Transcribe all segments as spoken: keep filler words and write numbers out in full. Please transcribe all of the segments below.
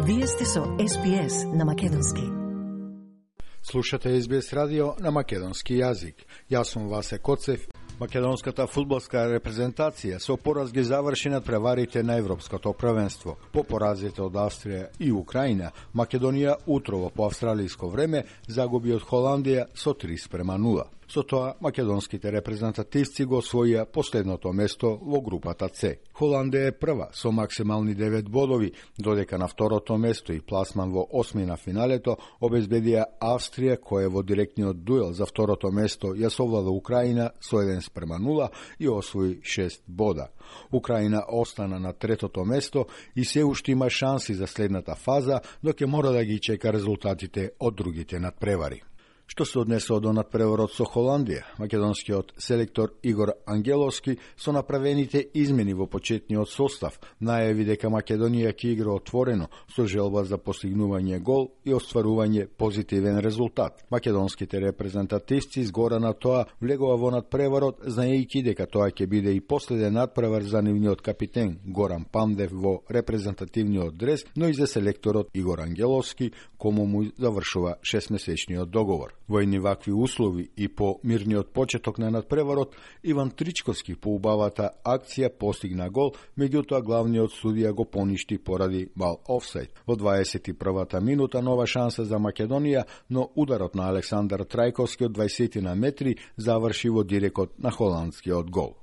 Вие сте со Ес Би Ес на македонски. Слушате Ес Би Ес радио на македонски јазик. Јас сум Васе Коцев. Македонската фудбалска репрезентација со пораз ги заврши над преварите на Европското првенство. По поразите од Австрија и Украина, Македонија утрово по австралиско време загуби од Холандија со три спрема нула. Со тоа, македонските репрезентативци го освоија последното место во групата С. Холандија е прва со максимални девет бодови, додека на второто место и пласман во осми на финалето обезбедија Австрија, која во директниот дуел за второто место ја совлада Украина со еден спрема нула и освои шест бода. Украина остана на третото место и се уште има шанси за следната фаза, но ќе мора да ги чека резултатите од другите надпревари. Што се однесува до надпреварот со Холандија, македонскиот селектор Игор Ангеловски со направените измени во почетниот состав најави дека Македонија ќе игра отворено со желба за постигнување гол и остварување позитивен резултат. Македонските репрезентативци згора на тоа влегува во надпреварот, знаејќи дека тоа ќе биде и последен надпревар за нивниот капитен Горан Пандев во репрезентативниот дрес, но и за селекторот Игор Ангеловски, кому му завршува шестмесечниот договор. Во едни вакви услови и по мирниот почеток на надпреварот, Иван Тричковски по убавата акција постигна гол, меѓутоа главниот судија го поништи поради мал офсайд. Во дваесет и првата минута нова шанса за Македонија, но ударот на Александар Трајковски од дваесет на метри заврши во дирекот на холандскиот гол.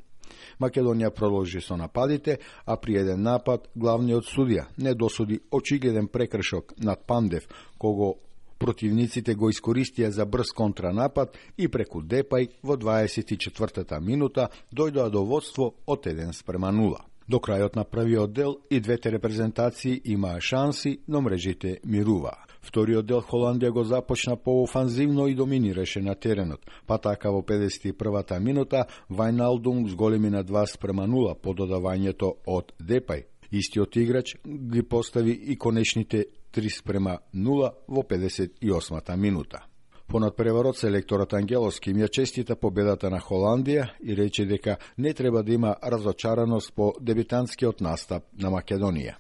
Македонија продолжи со нападите, а при еден напад главниот судија не досуди очигледен прекршок над Пандев, кого противниците го искористија за брз контранапад и преку Депај во дваесет и четвртата минута дојдоа до водство од еден спрема нула. До крајот на првиот дел и двете репрезентации имаа шанси, но мрежите мируваа. Вториот дел Холандија го започна поофанзивно и доминираше на теренот, па така во педесет и првата минута Вајналдум зголеми на два спрема нула по додавањето од Депај. Истиот играч ги постави и конечните три спрема нула во педесет и осмата минута. По надпреварот селекторот Ангеловски им ја честита победата на Холандија и рече дека не треба да има разочараност по дебитантскиот настап на Македонија.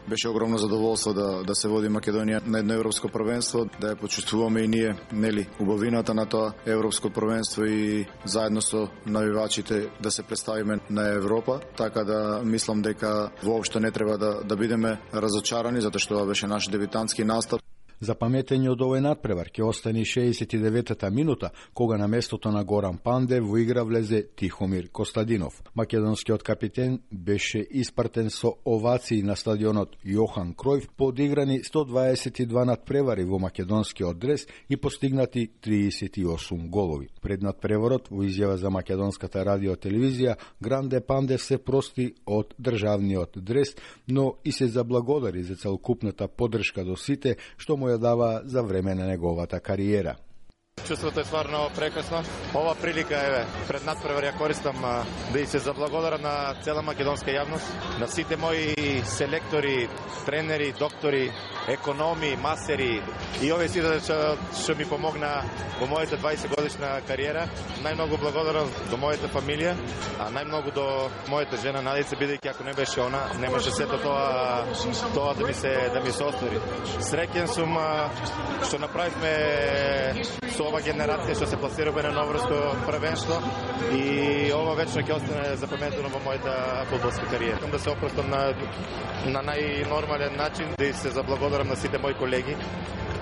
Беше огромно задоволство да да се води Македонија на едно европско првенство, да ја почувствуваме и ние, нели, убавината на тоа европско првенство и заедно со навивачите да се представиме на Европа, така да мислам дека воопшто не треба да да бидеме разочарани затоа што тоа беше наш дебитантски настап. За паметење од овој надпревар ќе остане шеесет и деветата минута, кога на местото на Горан Пандев во игра влезе Тихомир Костадинов. Македонскиот капитен беше испратен со овации на стадионот Јохан Кројф по одиграни сто дваесет и два надпревари во македонскиот дрес и постигнати триесет и осум голови. Пред надпреварот во изјава за македонската радио телевизија Гранде Пандев се прости од државниот дрес, но и се заблагодари за целокупната поддршка до сите што му ја дава за време на неговата кариера. Чувството е стварно прекрасно. Ова прилика, еве, пред надпревар ја користам да и се заблагодарам на цела македонска јавност, на сите мои селектори, тренери, доктори, економи, масери и овие сите што, што ми помогна во мојата дваесет годишна кариера. Најмногу благодарам до мојата фамилија, а најмногу до мојата жена Надица, бидејќи ако не беше она, немаше сето тоа тоа да ми се да ми се оствари. Среќен сум што направивме со ова генерација што се пласираме на новорско првенство и ова вечно ќе остане запаметено во мојата фудбалска кариера. Искам да се опростам на на најнормален начин, да се заблагодарам на сите мои колеги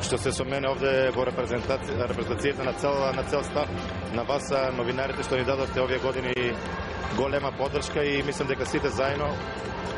што се со мене овде во репрезентација, репрезентацијата на цел на цел став, на вас новинарите што ни дадовте овие години голема поддршка и мислам дека сите заедно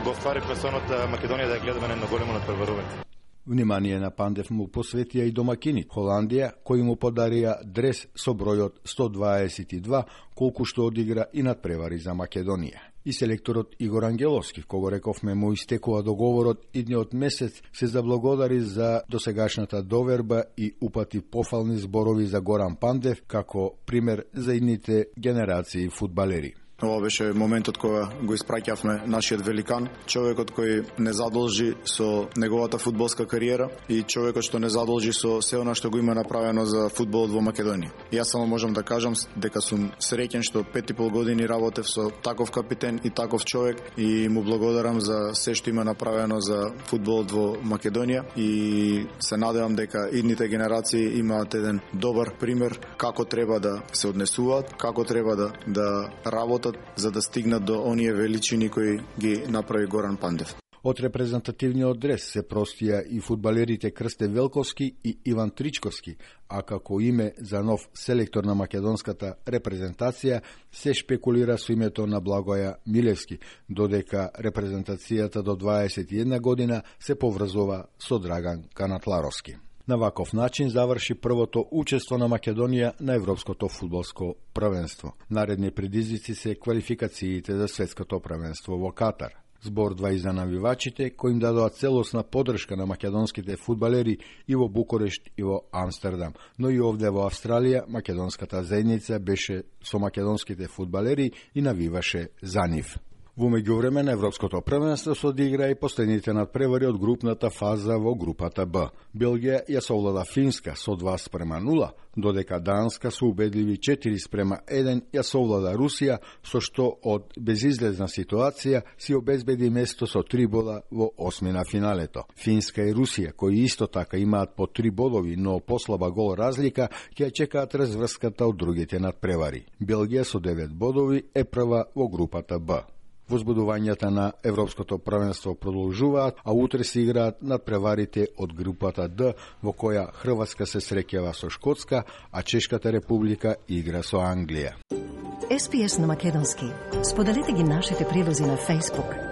го остваривме сонот Македонија да ја гледаме на едно големо надпреварување. Внимание на Пандев му посветија и домакини Холандија, кои му подарија дрес со бројот сто дваесет и два, колку што одигра и надпревари за Македонија. И селекторот Игор Ангеловски, кого рековме му истекува договорот идниот месец, се заблагодари за досегашната доверба и упати пофални зборови за Горан Пандев како пример за идните генерации фудбалери. ова беше моментот кога го испраќавме нашиот великан, човекот кој не задолжи со неговата фудбалска кариера и човекот што не задолжи со се она што го има направено за фудбалот во Македонија. Јас само можам да кажам дека сум среќен што пет и пол години работев со таков капитен и таков човек и му благодарам за се што има направено за фудбалот во Македонија и се надевам дека идните генерации имаат еден добар пример како треба да се однесуваат, како треба да да работат за да стигнат до оние величини кои ги направи Горан Пандев. Од репрезентативниот дрес се простија и фудбалерите Крсте Велковски и Иван Тричковски, а како име за нов селектор на македонската репрезентација се шпекулира со името на Благоја Милевски, додека репрезентацијата до дваесет и една година се поврзува со Драган Канатларовски. На ваков начин заврши првото учество на Македонија на Европското фудбалско првенство. Наредни предизвици се квалификациите за светското првенство во Катар. Збордва и за навивачите, кои им дадоа целосна поддршка на македонските фудбалери и во Букурешт и во Амстердам, но и овде во Австралија македонската заедница беше со македонските фудбалери и навиваше за нив. Во меѓувреме на Европското првенство се одигра и последните надпревари од групната фаза во групата Б. Белгија ја совлада Финска со два спрема нула, додека Данска со убедливи четири спрема еден ја совлада Русија, со што од безизлезна ситуација си обезбеди место со три бода во осми на финалето. Финска и Русија, кои исто така имаат по три бодови, но послаба гол разлика, ќе чекаат разврската од другите надпревари. Белгија со девет бодови е прва во групата Б. Возбудувањата на Европското првенство продолжуваат, а утре се играат надпреварите од групата Д, во која Хрватска се среќава со Шкотска, а Чешката република игра со Англија. Ес Би Ес на македонски. Споделете ги нашите прилози на Facebook,